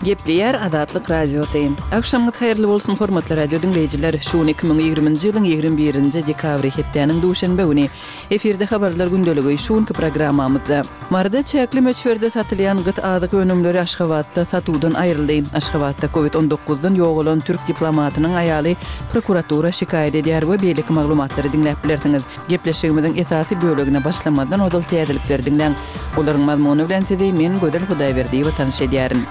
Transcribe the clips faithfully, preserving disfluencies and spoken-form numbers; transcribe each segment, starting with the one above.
Gepleýär Azatlyk Radiosy. Agşamyňyz haýyrly bolsun, hormatly radio diňleýjiler. Şu gün iki müň ýigriminji ýylyň ýigrimi birinji dekabry, hepdäniň duşenbe güni. Efirde habarlar gündeligi şu günki programmamyzda. Maryda çäkli möçberde satylýan gyt azyk önümleri Aşgabatda satuwdan aýryldy. Aşgabatda Covid on dokuzdan ýogalan türk diplomatynyň aýaly prokuratura şikaýat edýär we beýleki maglumatlary diňläp bilersiňiz. Gepleşigimiziň esasy bölegine başlamazdan ozal täzelikleri diňläň. Olaryň mazmuny bilen sizi men Gözel Hudaýberdiýewa tanyş edýärin.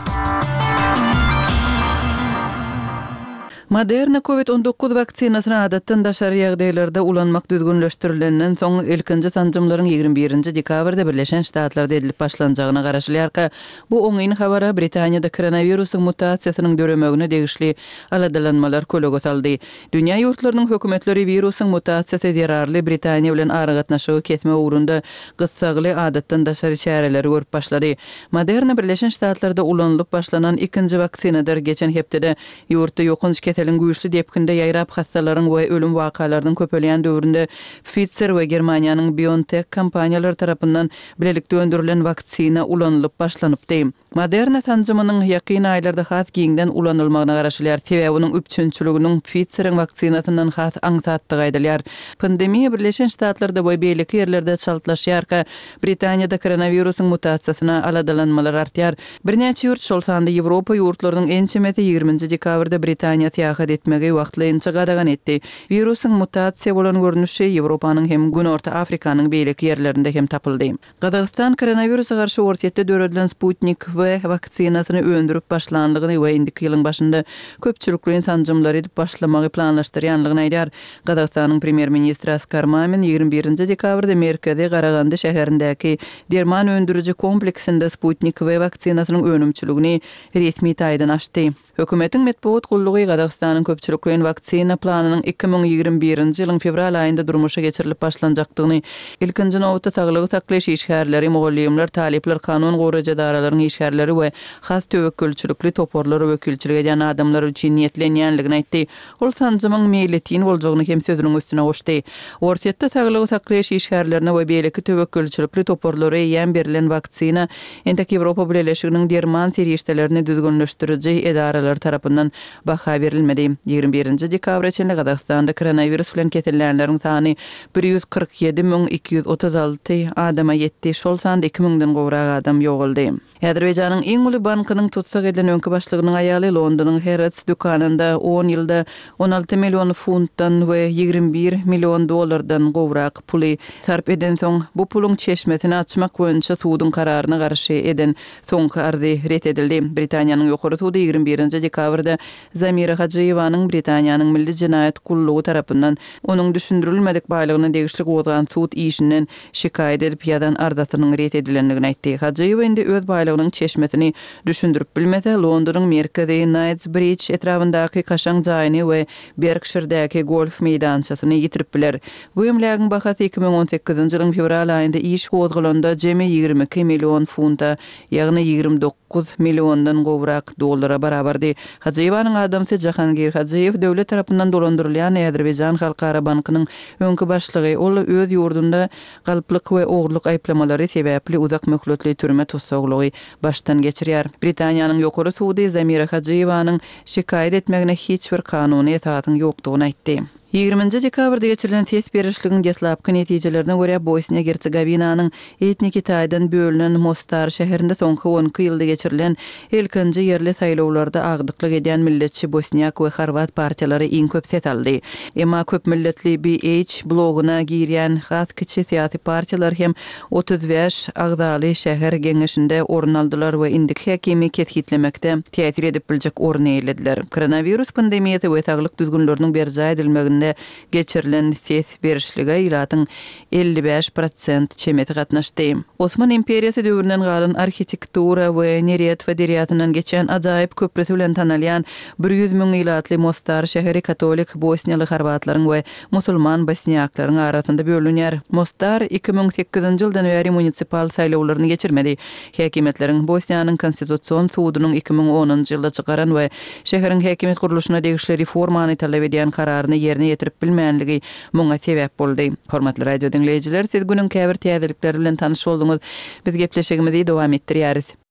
Moderna Covid on dokuz waksinasyny adatdan daşary ýagdaýlarda ulanmak düzgünleşdirilenden soň ilkinji sanjymlaryň ýigrimi birinji dekabrda Birleşen Ştatlarda edilip başlanjagyna garaşylýarka, bu oňyn habara Britaniýada koronawirusyň mutasiýasynyň döremegine degişli aladalanmalar kölege saldy. Dünýä ýurtlarynyň hökümetleri wirusyň mutasiýasy zerarly Britaniýa bilen aragatnaşygy kesme ugrunda gyssagly adatdan daşary çäreleri görüp başlady. Moderna Birleşen Ştatlarda ulanylyp başlanan ikinji waksinadyr. Geçen hepdede ýurtda ýokanç keseliň güýçli depginde ýaýrap hassalaryň we ölüm wakalarynyň köpelýän döwründe Pfizer we Germaniýanyň BioNTech kompaniýalary tarapyndan bilelikde öndürilen waksina ulanylyp başlanypdy. Moderna sanjymynyň ýakyn aýlarda has giňden ulanylmagyna garaşylýar. Sebäbi onuň üpjünçiliginiň Pfizeriň waksinasyndan has aňsatdygy aýdylýar. Pandemiýa Birleşen Ştatlarda we beýleki ýerlerde çaltlaşýarka, Britaniýada koronawirusyň mutasiýasyna aladalanmalar artýar. Birnäçe ýurt, şol sanda Ýewropa ýurtlarynyň ençemesi ýigriminji dekabrda Britaniýa syýahat etmegi wagtlaýynça gadagan etdi. Wirusyň mutasiýa bolan görnüşi Ýewropanyň hem Günorta Afrikanyň beýleki ýerlerinde hem tapyldy. Gazagystan koronawirusa garşy Orsýetde döredilen Sputnik V waksinasyny öndürip başlanlygyny we indiki ýylyň başynda köpçülikleýin sanjymlary edip başlamagy planlaşdyrýanlygyny aýdýar. Gazagystanyň premýer-ministri Askar Mamin ýigrimi birinji dekabrda merkezi Garagandy şäherindäki derman öndüriji kompleksinde Sputnik V waksinasynyň önümçiligini resmi taýdan açdy. Hökümetiň metbugat gullugy Gazagystanyň köpçülikleýin waksina planynyň iki müň ýigrimi birinji ýylyň fewral aýynda durmuşa geçirilip başlanjakdygyny, ilkinji nobatda saglygy saklaýyş işgärleri, mugallymlar, talyplar, kanun goraýjy edaralaryň işgärleri we has töwekgelçilikli toparlara wekilçilik edýän adamlar üçin niýetlenýänligini aýtdy. Ol sanjymyň meýletin boljagyny hem sözüniň üstüne goşdy. Orsýetde saglygy saklaýyş işgärlerine we beýleki töwekgelçilikli toparlara eýýäm berlen waksina entek Ýewropa Bileleşiginiň derman serişdelerini düzgünleşdiriji edaralar tarapyndan baha berilmedi. Ýigrimi birinji dekabra çenli Gazagystanda koronawirus bilen kesellänleriň sany bir ýüz kyrk ýedi müň iki ýüz otuz alty adama ýetdi, şol sanda iki müňden gowrak adam ýogaldy. Azerbaýjanyň iň uly bankynyň tutsag edilen öňki başlygynyň aýaly Londonyň Harrods dükanynda on ýylda on alty million funtdan we ýigrimi bir million dollardan gowrak puly sarp edensoň, bu puluň çeşmesini açmak boýunça suduň kararyna garşy eden soňky arzy ret edildi. Britaniýanyň ýokary sudy ýigrimi birinji dekabrda Zamira Hajyýewanyň Britaniýanyň Milli Jenaýat gullugy tarapyndan onuň düşündirilmedik baýlygyna degişli gozgan sud işinden şikaýat edip ýazan arzasynyň ret edilendigini aýtdy. Hajyýewa indi öz baýlygynyň çeşmesini düşündirip bilmese, Londonyň merkezi Knightsbridge etrabyndaky kaşaň jaýyny we Berkshirdäki golf meýdançasyny ýitirip biler. Bu emlägiň bahasy iki müň on sekizinji ýylyň fewral aýynda iş gozgalanda jemi ýigrimi iki million funta, ýagny ýigrimi dokuz milliondan gowrak dollara barabardy. Hajyýewanyň adamsy Jahangir Hajyýew döwlet tarapyndan dolandyrylýan Azerbaýjan Halkara Bankynyň öňki başlygy. Ol öz ýurdunda galplyk we ogurlyk aýyplamalary sebäpli uzak möhletli türme tussaglygy başdan geçirýär. Britaniýanyň ýokary sudy Zamira Hajyýewanyň şikaýat etmegine hiç bir kanuny esasyň ýokdugyny aýtdy. Ýigriminji dekabrda geçirilen ses berişligiň deslapky netijelerine görä Bosniýa-Gersegovinanyň etniki taýdan bölünen Mostar şäherinde soňky on iki ýylda geçirilen ilkinji ýerli saýlawlarda agdyklyk edýän milletçi bosniak we horvat partiýalary iň köp ses aldy. Emma köp milletli B H bloguna girýän has kiçi syýasy partiýalar hem otuz bäş agzaly şäher geňeşinde orun aldylar we indiki häkimi kesgitlemekde täsir edip biljek orun eýelediler. Koronavirus pandemiýasy we saglyk düzgünleriniň berjaý edilmeginde geçirilen ses berişlige ilatyň elli bäş prosent çemesi gatnaşdy. Osman imperiýasy döwründen galan arhitektura we Neretva derýasyndan geçen ajaýyp köprüsi bilen tanalýan bir ýüz müň ilatly Mostar şäheri katolik bosniýaly horvatlaryň we musulman bosniýaklaryň arasynda bölünýär. Mostar iki müň sekizinji ýyldan bäri municipal saýlawlaryny geçirmedi. Häkimiýetleriň Bosniýanyň konstitusion sudunyň iki müň onunjy ýylda çykaran we şäheriň häkimiýet gurluşyna degişli reformany talap edýän kararyny ýerine ýetirip bilmänligi muňa sebäp boldy. Hormatly radio diňleýjiler, siz günüň käbir täzelikleri bilen tanyş bolduňyz. Biz gepleşigimizi dowam etdirýäris.